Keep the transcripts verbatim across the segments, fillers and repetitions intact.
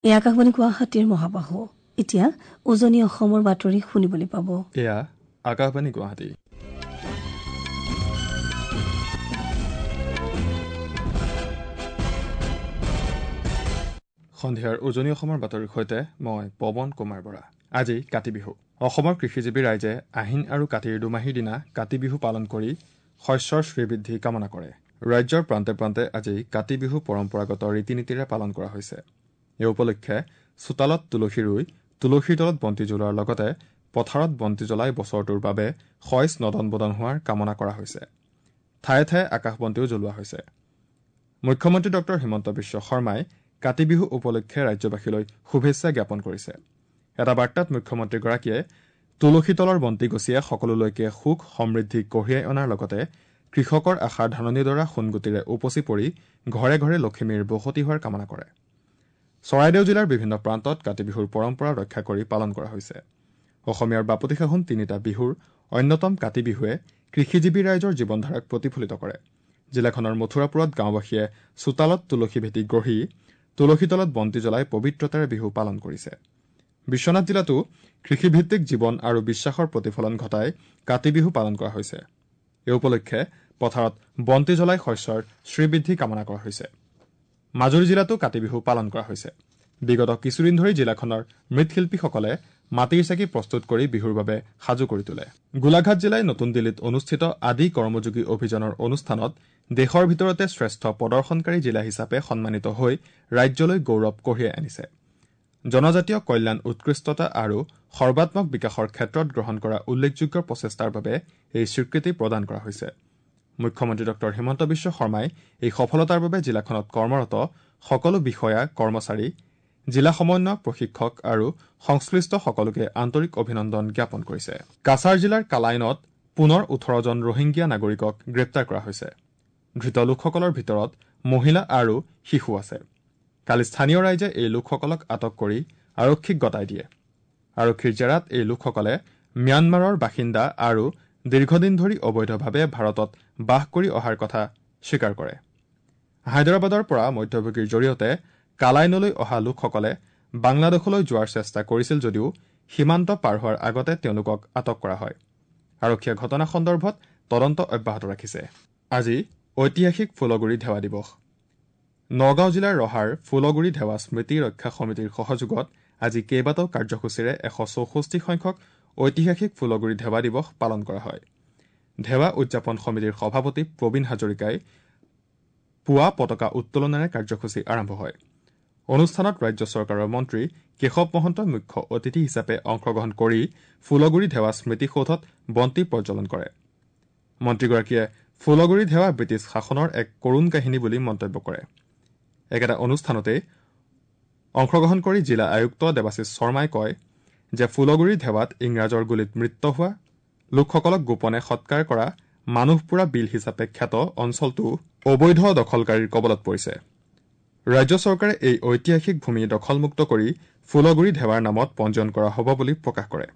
এই আকাশবাণী গুৱাহাটীৰ মহাবাহু। এতিয়া উজনি অসমৰ বাতৰি শুনিবলৈ পাব। এয়া আকাশবাণী গুৱাহাটী। সন্ধিয়াৰ উজনি অসমৰ বাতৰিৰ সৈতে মই পৱন কুমাৰ বৰা। আজি কাতি বিহু। অসমৰ কৃষিজীৱী ৰাইজে আহিন আৰু কাতিৰ দুমাহীৰ দিনা কাতি বিহু পালন কৰি শস্যৰ শ্ৰীবৃদ্ধি কামনা কৰে। ৰাজ্যৰ প্ৰান্তে প্ৰান্তে আজি কাতি বিহু পৰম্পৰাগত ৰীতি নীতিৰে পালন কৰা হৈছে। এই উপলক্ষে চোতালত তুলসী ৰুই তুলসীৰ তলত বন্তি জ্বলোৱাৰ লগতে পথাৰত বন্তি জ্বলাই বছৰটোৰ বাবে শইচ নদন বদন হোৱাৰ কামনা কৰা হৈছে। ঠায়ে ঠায়ে আকাশ বন্তিও জ্বলোৱা হৈছে। মুখ্যমন্ত্ৰী ডক্টৰ হিমন্ত বিশ্ব শৰ্মাই কাতি বিহু উপলক্ষে ৰাজ্যবাসীলৈ শুভেচ্ছা জ্ঞাপন কৰিছে। এটা বাৰ্তাত মুখ্যমন্ত্ৰীগৰাকীয়ে তুলসী তলৰ বন্তি গছিয়ে সকলোলৈকে সুখ সমৃদ্ধি কঢ়িয়াই অনাৰ লগতে কৃষকৰ আশাৰ ধাননিডৰা সোণগুটিৰে উপচি পৰি ঘৰে ঘৰে লখিমীৰ বসতি হোৱাৰ কামনা কৰে। চৰাইদেউ জিলাৰ বিভিন্ন প্ৰান্তত কাতি বিহুৰ পৰম্পৰা ৰক্ষা কৰি পালন কৰা হৈছে। অসমীয়াৰ বাপতি সাহোন তিনিটা বিহুৰ অন্যতম কাতি বিহুৱে কৃষিজীৱী ৰাইজৰ জীৱনধাৰাক প্ৰতিফলিত কৰে। জিলাখনৰ মথুৰাপুৰত গাঁওবাসীয়ে চোতালত তুলসী ভেটি গঢ়ি তুলসী তলত বন্তি জ্বলাই পবিত্ৰতাৰে বিহু পালন কৰিছে। বিশ্বনাথ জিলাতো কৃষিভিত্তিক জীৱন আৰু বিশ্বাসৰ প্ৰতিফলন ঘটাই কাতি বিহু পালন কৰা হৈছে। এই উপলক্ষে পথাৰত বন্তি জ্বলাই শস্যৰ শ্ৰীবৃদ্ধি কামনা কৰা হৈছে। মাজুলী জিলাতো কাতি বিহু পালন কৰা হৈছে। বিগত কিছুদিন ধৰি জিলাখনৰ মৃৎশিল্পীসকলে মাটিৰ চাকি প্ৰস্তুত কৰি বিহুৰ বাবে সাজু কৰি তোলে। গোলাঘাট জিলাই নতুন দিল্লীত অনুষ্ঠিত আদি কৰ্মযোগী অভিযানৰ অনুষ্ঠানত দেশৰ ভিতৰতে শ্ৰেষ্ঠ প্ৰদৰ্শনকাৰী জিলা হিচাপে সন্মানিত হৈ ৰাজ্যলৈ গৌৰৱ কঢ়িয়াই আনিছে। জনজাতীয় কল্যাণ, উৎকৃষ্টতা আৰু সৰ্বাত্মক বিকাশৰ ক্ষেত্ৰত গ্ৰহণ কৰা উল্লেখযোগ্য প্ৰচেষ্টাৰ বাবে এই স্বীকৃতি প্ৰদান কৰা হৈছে। মুখ্যমন্ত্ৰী ডক্টৰ হিমন্ত বিশ্ব শৰ্মাই এই সফলতাৰ বাবে জিলাখনত কৰ্মৰত সকলো বিষয়া, কৰ্মচাৰী, জিলা সমন্বয়ক, প্ৰশিক্ষক আৰু সংশ্লিষ্ট সকলোকে আন্তৰিক অভিনন্দন জ্ঞাপন কৰিছে। কাছাৰ জিলাৰ কালাইনত পুনৰ ওঠৰজন ৰোহিংগীয়া নাগৰিকক গ্ৰেপ্তাৰ কৰা হৈছে। ধৃত লোকসকলৰ ভিতৰত মহিলা আৰু শিশু আছে। কালি স্থানীয় ৰাইজে এই লোকসকলক আটক কৰি আৰক্ষীক গতাই দিয়ে। আৰক্ষীৰ জেৰাত এই লোকসকলে ম্যানমাৰৰ বাসিন্দা আৰু দীৰ্ঘদিন ধৰি অবৈধভাৱে ভাৰতত বাস কৰি অহাৰ কথা স্বীকাৰ কৰে। হায়দৰাবাদৰ পৰা মধ্যভোগীৰ জৰিয়তে কালাইনলৈ অহা লোকসকলে বাংলাদেশলৈ যোৱাৰ চেষ্টা কৰিছিল যদিও সীমান্ত পাৰ হোৱাৰ আগতে তেওঁলোকক আটক কৰা হয়। আৰক্ষীয়ে ঘটনা সন্দৰ্ভত তদন্ত অব্যাহত ৰাখিছে। আজি ঐতিহাসিক ফুলগুৰি ধেৱা দিৱস। নগাঁও জিলাৰ ৰহাৰ ফুলগুৰি ধেৱা স্মৃতি ৰক্ষা সমিতিৰ সহযোগত আজি কেইবাটাও কাৰ্যসূচীৰে এশ চৌষষ্ঠি সংখ্যক ঐতিহাসিক ফুলগুৰি ধেৱা দিৱস পালন কৰা হয়। ধেৱা উদযাপন সমিতিৰ সভাপতি প্ৰবীণ হাজৰিকাই পুৱা পতাকা উত্তোলনেৰে কাৰ্যসূচী আৰম্ভ হয়। অনুষ্ঠানত ৰাজ্য চৰকাৰৰ মন্ত্ৰী কেশৱ মহন্তই মুখ্য অতিথি হিচাপে অংশগ্ৰহণ কৰি ফুলগুৰি ধেৱা স্মৃতিসৌধত বন্তি প্ৰজ্বলন কৰে। মন্ত্ৰীগৰাকীয়ে ফুলগুৰি ধেৱা ব্ৰিটিছ শাসনৰ এক কৰুণ কাহিনী বুলি মন্তব্য কৰে। একেটা অনুষ্ঠানতে অংশগ্ৰহণ কৰি জিলা আয়ুক্ত দেৱাশীষ শৰ্মাই কয় যে ফুলগুৰি ধেৱাত ইংৰাজৰ গুলীত মৃত্যু হোৱা লোকসকলক গোপনে সৎকাৰ কৰা মানুহপুৰা বিল হিচাপে খ্যাত অঞ্চলটো অবৈধ দখলকাৰীৰ কবলত পৰিছে। ৰাজ্য চৰকাৰে এই ঐতিহাসিক ভূমি দখলমুক্ত কৰি ফুলগুৰি ধেৱাৰ নামত পঞ্জীয়ন কৰা হ'ব বুলি প্ৰকাশ কৰে।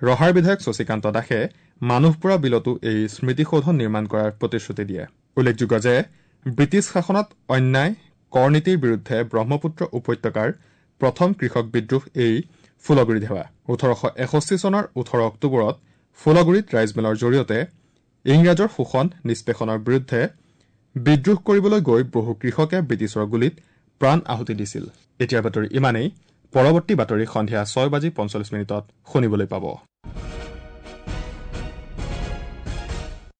ৰহাৰ বিধায়ক শশীকান্ত দাসে মানুহপুৰা বিলতো এই স্মৃতিসৌধ নিৰ্মাণ কৰাৰ প্ৰতিশ্ৰুতি দিয়ে। উল্লেখযোগ্য যে ব্ৰিটিছ শাসনত অন্যায় কৰ নীতিৰ বিৰুদ্ধে ব্ৰহ্মপুত্ৰ উপত্যকাৰ প্ৰথম কৃষক বিদ্ৰোহ এই ফুলগুৰি ধেৱা। ওঠৰশ এষষ্ঠি চনৰ ওঠৰ অক্টোবৰত ফুলগুৰিত ৰাইজমেলৰ জৰিয়তে ইংৰাজৰ শোষণ নিষ্পেষণৰ বিৰুদ্ধে বিদ্ৰোহ কৰিবলৈ গৈ বহু কৃষকে ব্ৰিটিছৰ গুলীত প্ৰাণ আহুতি দিছিল। এতিয়াৰ বাতৰি ইমানেই। পৰৱৰ্তী বাতৰি সন্ধিয়া ছয় বাজি পঞ্চল্লিছ মিনিটত শুনিবলৈ পাব।